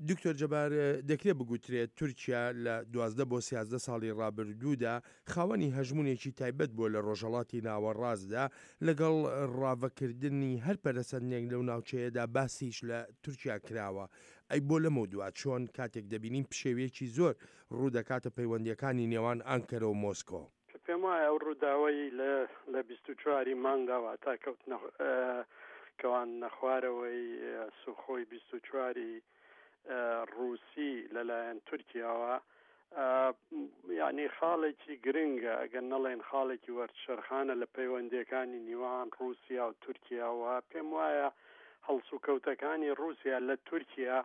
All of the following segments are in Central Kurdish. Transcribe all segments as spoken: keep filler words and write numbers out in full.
دکتۆر جەبار، دەکرێت بگوترێت تورکیا لە دوازدە بۆ سیازدە ساڵی ڕابردوودا خاوەنی هەژمونێکی تایبەت بووە لە ڕۆژهەڵاتی ناوەڕاستدا، لەگەڵ ڕاڤەکردنی هەر پەرەسەندنێک لەو ناوچەیەدا باسیش لە تورکیا کراوە. ئەی بۆ لەمەودوا چۆن کاتێک دەبینین پشێوییەکی زۆر ڕوودەکاتە پەیوەندییەکانی نێوان ئانکەرە و مۆسکۆ؟ پێم وایە ئەو ڕووداوەی لە لە بیست و چواری مانگدا واتا کەوتنە کەواندنە خوارەوەی سوخۆی بیست و چواری ڕووسی لەلایەن تورکیاوە یعنی خاڵێکی گرنگە، ئەگەر نەڵێن خاڵێکی وەرچەرخانە لە پەیوەندیەکانی نێوان ڕووسیا و تورکیاوە. پێم وایە هەڵسوکەوتەکانی ڕووسیا لە تورکیا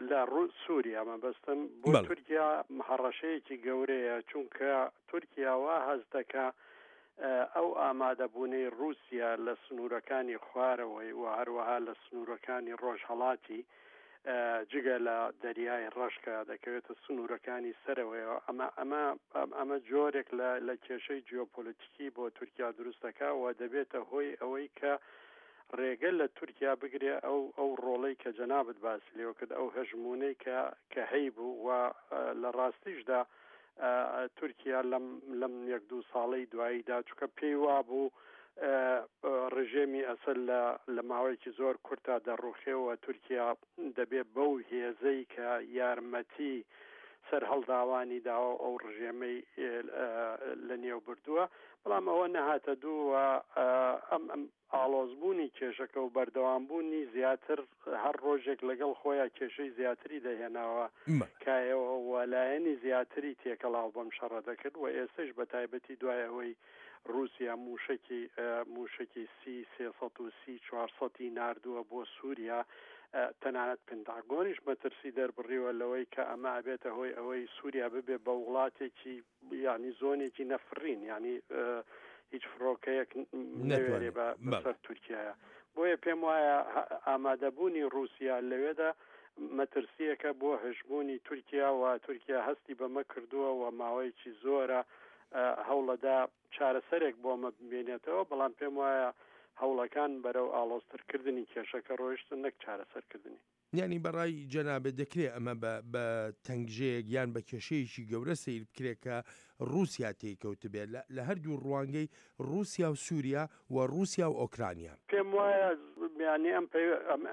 لە سووریا مەبەستم بۆ تورکیا هەڕەشەیەکی گەورەیە، چونکە تورکیا وا هەست دەکا ئەو ئامادەبوونەی ڕووسیا لە سنوورەکانی خوارەوەی و هەروەها لە سنوورەکانی ڕۆژهەڵاتی جگە لە دەریای ڕەشکە دەکەوێتە سنوورەکانی سەرەوەیەوە، ئەمە ئەمە ئەمە جۆرێک لە لە کێشەی جیۆپۆلیتیکی بۆ تورکیا دروست دەکا و دەبێتە هۆی ئەوەی کە ڕێگە لە تورکیا بگرێ ئەو ئەو ڕۆڵەی کە جەنابت باسی لێوە کرد، ئەو هەژمونەی کە کە هەیبوو و لە ڕاستیشدا تورکیا لەم لەم یەک دوو ساڵەی دواییدا چونکە پێی وابوو ڕژێمی ئەسەد لە لە ماوەیەکی زۆر کورتا دەڕوخێەوە، تورکیا دەبێ بەو هێزەی کە یارمەتی سەرهەڵداوانی داوە ئەو ڕژێمەی لە نێو بردووە، بەڵام ئەوە نەهاتە دوو و ئەم ئەم ئاڵۆزبوونی کێشەکە و بەردەوامبوونی زیاتر هەر ڕۆژێک لەگەڵ خۆیان کێشەی زیاتری دەهێناوە کایەوە و لایەنی زیاتری تێکەڵاو بەم شەڕە دەکرد و ئێستش بە تایبەتی دوای ئەوەی رووسیا موشکی موشکی سی سێسەد و سی چوارسەدی ناردووە بۆ سووریا، تەنانەت پنتاگۆنیش مەترسی دەربڕیوە لەوەی کە ئەمە ئەبێتە هۆی ئەوەی سووریا ببێ بە وڵاتێکی یعنی زۆنێکی نەفرین، یعنی هیچ فڕۆکەیەک نەوێرێ بەسەر تورکیایە. بۆیە پێم وایە ئامادەبوونی رووسیا لەوێدا مەترسیەکە بۆ هەژمونی تورکیا و تورکیا هەستی بەمە کردووە و ماوەیەکی زۆرە هەوڵەدا چارەسەرێک بۆ ئەمە بمێنێتەوە، بەڵام پێم وایە هەوڵەکان بەرەو ئاڵۆزترکردنی کێشەکە ڕۆیشتن نەک چارەسەرکردنی. یعنی بەڕای جەنابێت دەکرێت ئەمە بە تەنگژەیەک یان بە کێشەیەکی گەورە سەیر بکرێت کە رووسیا تێیکەوتبێت لە هەردوو ڕوانگەی رووسیا و سووریا و رووسیا و ئۆکرانیا. پێم وایە یعنی ئەم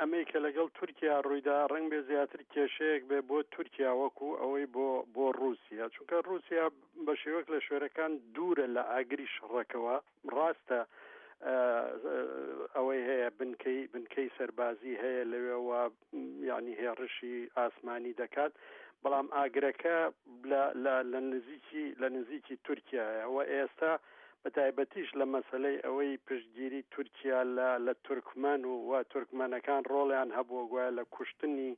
ئەمەی کە لەگەڵ تورکیا ڕوویدا ڕەنگ بێ زیاتر کێشەیەک بێ بۆ تورکیا وەکو ئەوەی بۆ بۆ رووسیا، چونکە رووسیا بە شێوەک لە شوێنەکان دوورە لە ئاگری شەڕەکەوە. ڕاستە ئەوەی هەیە بنکەی بنکەی سەربازی هەیە لەوێوە یعنی هێڕشی ئاسمانی دەکات، بەڵام ئاگرەکە لە نزیکی لە نزیکی تورکیایە و ئێستا بە تایبەتیش لە مەسلەی ئەوەی پشتگیری تورکیا لە لە تورکمان و و تورکمانەکان ڕۆڵیان هەبووە گوایە لە کوشتنی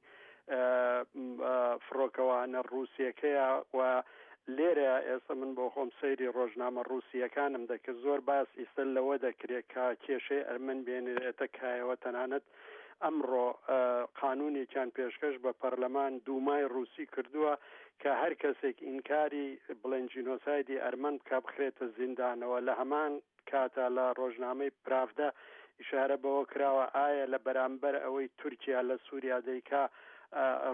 فڕۆکەوانە ڕووسیەکەیە و لێرە ئێستا من بۆ خۆم سەیری ڕۆژنامە ڕووسیەکانم دەکرد، زۆر باس ئیستا لەوە دەکرێت کە کێشەی ئەرمەن بێنرێتە کایەوە. تەنانەت ئەمڕۆ قانونێکیان پێشکەش بە پەرلەمان دوومای ڕووسی کردووە کە هەر کەسێک ئینکاری بڵێن جینۆسایدی ئەرمەن بکا بخرێتە زیندانەوە. لە هەمان کاتا لە ڕۆژنامەی پراڤدا ئیشارە بەوە کراوە ئایا لە بەرامبەر ئەوەی تورکیا لە سووریا دەیکا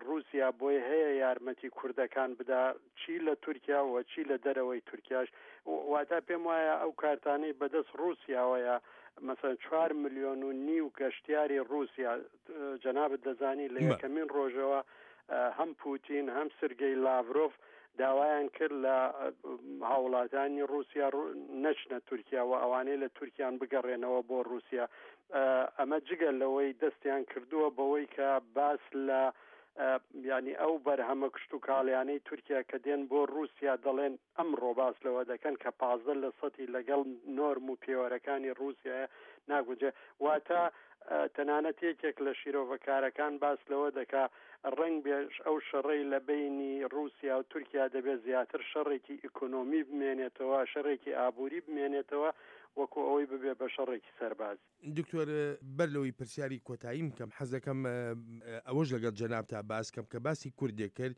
رووسیا بۆی هەیە یارمەتی کوردەکان بدا چی لە تورکیا و چی لە دەرەوەی تورکیاش. واتا پێم وایە ئەو کارتانەی بەدەست رووسیاوەیە مثلا چوار ملیۆن و نیو گەشتیاری رووسیا، جەنابت دەزانی لە یەکەمین ڕۆژەوە هەم پوتین هەم سرگەی لاڤرۆف داوایان کرد لە هاوڵاتانی رووسیا نەچنە تورکیا و ئەوانەی لە تورکیان بگەڕێنەوە بۆ رووسیا. ئەمە جگە لەوەی دەستیان کردووە بەوەی کە باس لە یعنی ئەو بەرهەمە کشتوکاڵیانەی تورکیا کە دێن بۆ رووسیا دەڵێن ئەمڕۆ باس لەوە دەکەن کە پازدە لە سەدی لەگەڵ نۆرم و پێوەرەکانی رووسیا ناگونجێ. واتە تەنانەت یەکێک لە شیرۆڤەکارەکان باس لەوە دەکا ڕەنگ بێش ئەو شەڕەی لە بینی رووسیا و تورکیا دەبێت زیاتر شەڕێکی ئیکۆنۆمی بمێنێتەوە، شەڕێکی ئابووری بمێنێتەوە وەکو ئەوەی ببێ بە شەڕێکی سەربازی. دکتۆر، بەر لەوەی پرسیاری کۆتاییم کەم، حەز دەکەم ئەوەش لەگەڵ جەنابتا باس کەم کە باسی کوردێک کرد.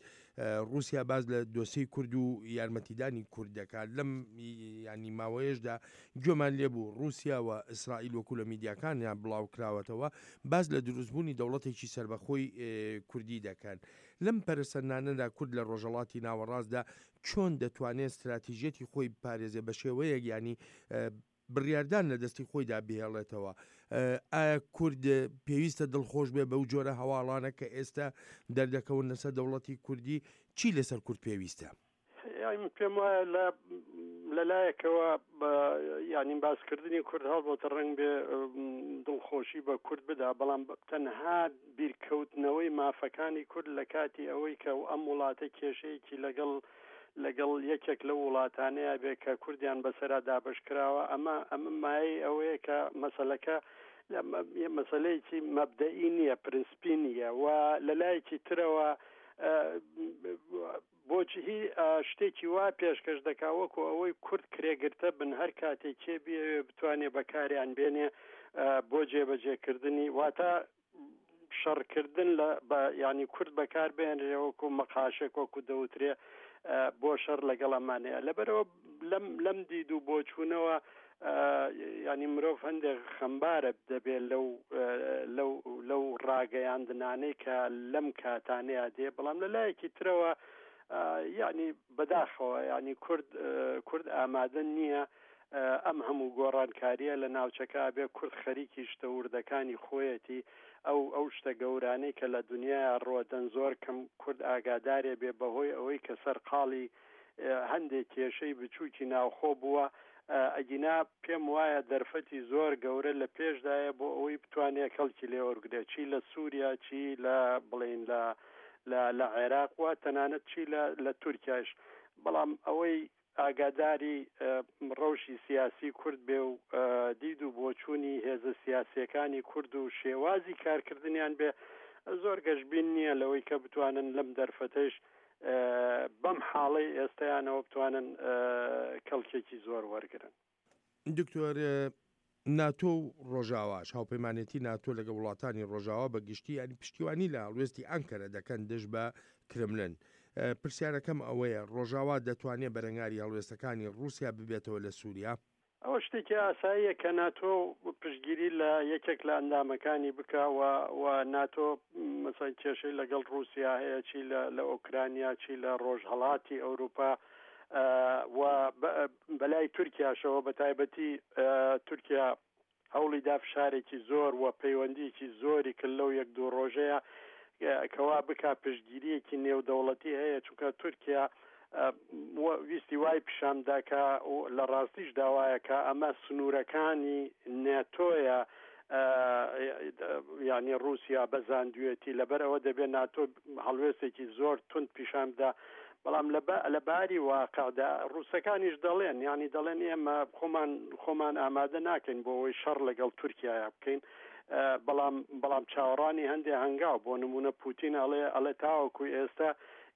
ڕووسیا باس لە دۆسیەی کورد و یارمەتیدانی کورد دەکات. لەم ینی ماوەیەشدا گوێمان لێبوو ڕووسیا و ئیسرائیل وەکو لە میدیاکانیان بڵاو کراوەتەوە باس لە دروستبوونی دەوڵەتێکی سەربەخۆی کوردی دەکەن. لەم پەرسەندانەدا کورد لە ڕۆژهەڵاتی ناوەڕاستدا چۆن دەتوانێت استراتیژیەتی خۆی بپارێزێ بە شێوەیەک ینی بڕیاردان لە دەستی خۆیدا بهێڵێتەوە؟ ئایا کورد پێویستە دڵخۆش بێ بەو جۆرە هەواڵانە کە ئێستا دەردەکەون لەسەر دەوڵەتی کوردی؟ چی لەسەر کورد پێویستە؟ یانی پێم وایە لە لەلایەکەوە یعنی باسکردنی کورد هەڵبەتە ڕەنگ بێ دڵخۆشی بە کورد بدا، بەڵام تەنها بیرکەوتنەوەی مافەکانی کورد لە کاتی ئەوەی کە ئەم وڵاتە کێشەیەکی لەگەڵ لەگەڵ یەکێک لەو وڵاتانەیە بێ کە کوردیان بەسەرا دابش کراوە، ئەمە ئەمە مایەی ئەوەیە کە مەسەلەکە مەسەلەیەکی مەبدەئی نییە، پرنسپی نییە. و لەلایەکی ترەوە بۆچی شتێکی وا پێشکەش دەکا وەکو ئەوەی کورد کرێگرتە بن هەر کاتێک کێ بیەوێ بتوانێ بەکاریان بێنێ بۆ جێبەجێکردنی، واتە شەڕکردن لە ینی کورد بەکار بێنرێ وەکو مەقاشێک وەکو دەوترێ بۆ شەڕ لەگەڵ ئەمانەیە. لەبەرەوە لەم لەم دید و بۆچوونەوە ینی مرۆڤ هەندێک خەمبارە دەبێت لەو لەو لەو ڕاگەیاندنانەی کە لەم کاتانەیە دێ. بەڵام لە لایەکی ترەوە یعنی بەداخەوە یعنی کورد کورد ئامادە نییە ئەم هەموو گۆڕانکاریە لە ناوچەکە بێ. کورد خەریکی شتە وردەکانی خۆیەتی، ئەو ئەو شتە گەورانەی کە لە دنیایا ڕۆدەن زۆر کەم کورد ئاگادارێ بێ بەهۆی ئەوەی کە سەرقاڵی هەندێک کێشەی بچووکی ناوخۆ بووە. ئەگینا پێم وایە دەرفەتی زۆر گەورە لە پێشدایە بۆ ئەوەی بتوانێت کەڵکی لێوەرگرێت، چی لە سووریا، چی لە بڵین لە لە عێراق و تەنانەت چی لە تورکیاش. بەڵام ئەوەی ئاگاداری ڕەوشی سیاسی کورد بێ و دید و بۆچوونی هێزە سیاسیەکانی کورد و شێوازی کارکردنیان بێ، زۆر گەشبین نییە لەوەی کە بتوانن لەم دەرفەتەش بەم حاڵەی ئێستایانەوە بتوانن کەڵکێکی زۆر وەرگرن. دکتۆر، ناتۆ و ڕۆژاواش، هاوپەیمانێتی ناتۆ لەگەڵ وڵاتانی ڕۆژاوا بە گشتی ینی پشتیوانی لە هەڵوێستی ئەنکەرە دەکەن دژ بە کرملن. پرسیارەکەم ئەوەیە ڕۆژاوا دەتوانێت بەرەنگاری هەڵوێستەکانی ڕووسیا ببێتەوە لە سووریا؟ ئەوە شتێکی ئاساییە کە ناتۆ پشتگیری لە یەکێک لە ئەندامەکانی بکە و ناتۆ مەسەن کێشەی لەگەڵ ڕووسیا هەیە، چی لە ئۆکرانیا، چی لە ڕۆژهەڵاتی ئەوروپا و بەلای تورکیاشەوە، بە تایبەتی تورکیا هەوڵی دا فشارێکی زۆر و پەیوەندیەکی زۆری کرد لەو یەک دوو ڕۆژەیە کەوا بکا پشتگیریەکی نێودەوڵەتی هەیە، چونکە تورکیا ویستی وای پیشاندا کە لە ڕاستیش داوایە کە ئەمە سنوورەکانی ناتۆیە، یعنی ڕووسیا بەزاندوێتی، لەبەر ئەوە دەبێت ناتۆ هەڵوێستێکی زۆر تند پیشان بدا. بەڵام لە باری واقعدا ڕووسەکانیش دەڵێن، یعنی دەڵێن ئێمە خۆمان خۆمان ئامادە ناکەین بۆ ئەوەی شەڕ لەگەڵ تورکیایا بکەین، بەڵام بەڵام چاوەڕوانی هەندێک هەنگاو، بۆ نمونە پوتین ئەڵێ ئەڵێ تاوەکو ئێستا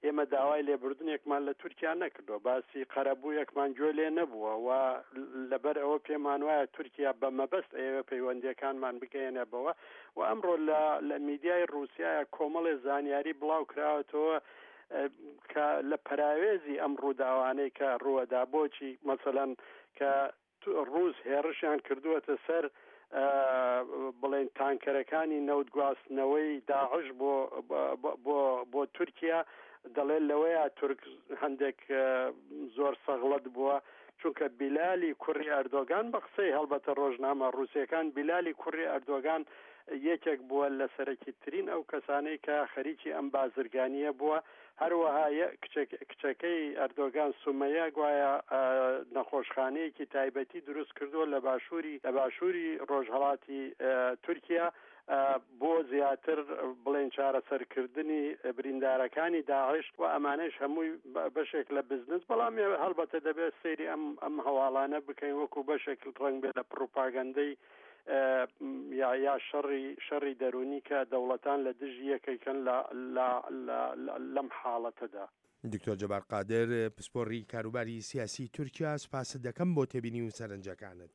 ئێمە داوای لێبوردنێکمان لە تورکیا نەکردووە، باسی قەرەبوویەکمان گوێ لێ نەبووە و لەبەر ئەوە پێمان وایە تورکیا بە مەبەست ئەیەوێ پەیوەندیەکانمان بگەیەنێ بەوە. و ئەمڕۆ لە میدیای ڕووسیایە کۆمەڵێ زانیاری بڵاو کراوەتەوە کە لە پەراوێزی ئەم ڕووداوانەی کە ڕووەدا، بۆچی مەسەلەن کە ڕووس هێڕشیان کردووەتە سەر بڵێن تانکەرەکانی نەوتگواستنەوەی داعش بۆ بۆ بۆ تورکیا، دەڵێن لەوەیە تورک هەندێک زۆر سەغڵەت بووە، چونکە بیلالی کوڕی ئەردۆگان بە قسەی هەڵبەتە ڕۆژنامە ڕووسیەکان، بیلالی کوڕی ئەردۆگان یەکێک بووە لە سەرەکیترین ئەو کەسانەی کە خەریکی ئەم بازرگانیە بووە. هەروەها کچەکەی ئەردۆگان سومەیە گوایە نەخۆشخانەیەکی تایبەتی دروست کردووە لە باشووری لە باشووری ڕۆژهەڵاتی تورکیا بۆ زیاتر بڵێن چارەسەرکردنی بریندارەکانی داعش و ئەمانەش هەمووی بەشێک لە بزنس. بەڵام هەڵبەتە دەبێت سەیری ئەم ئەم هەواڵانە بکەین وەکو بەشێک ڕەنگ بێ لە پڕوپاگەندەی یا یا شەڕی شەڕی دەرونی کە دەوڵەتان لە دژی یەکێکن لەم حاڵەتەدا. دکتۆر جەبار قادر، پسپۆڕی کاروباری سیاسی تورکیا، سپاست دەکەم بۆ تێبینی و سەرنجەکانت.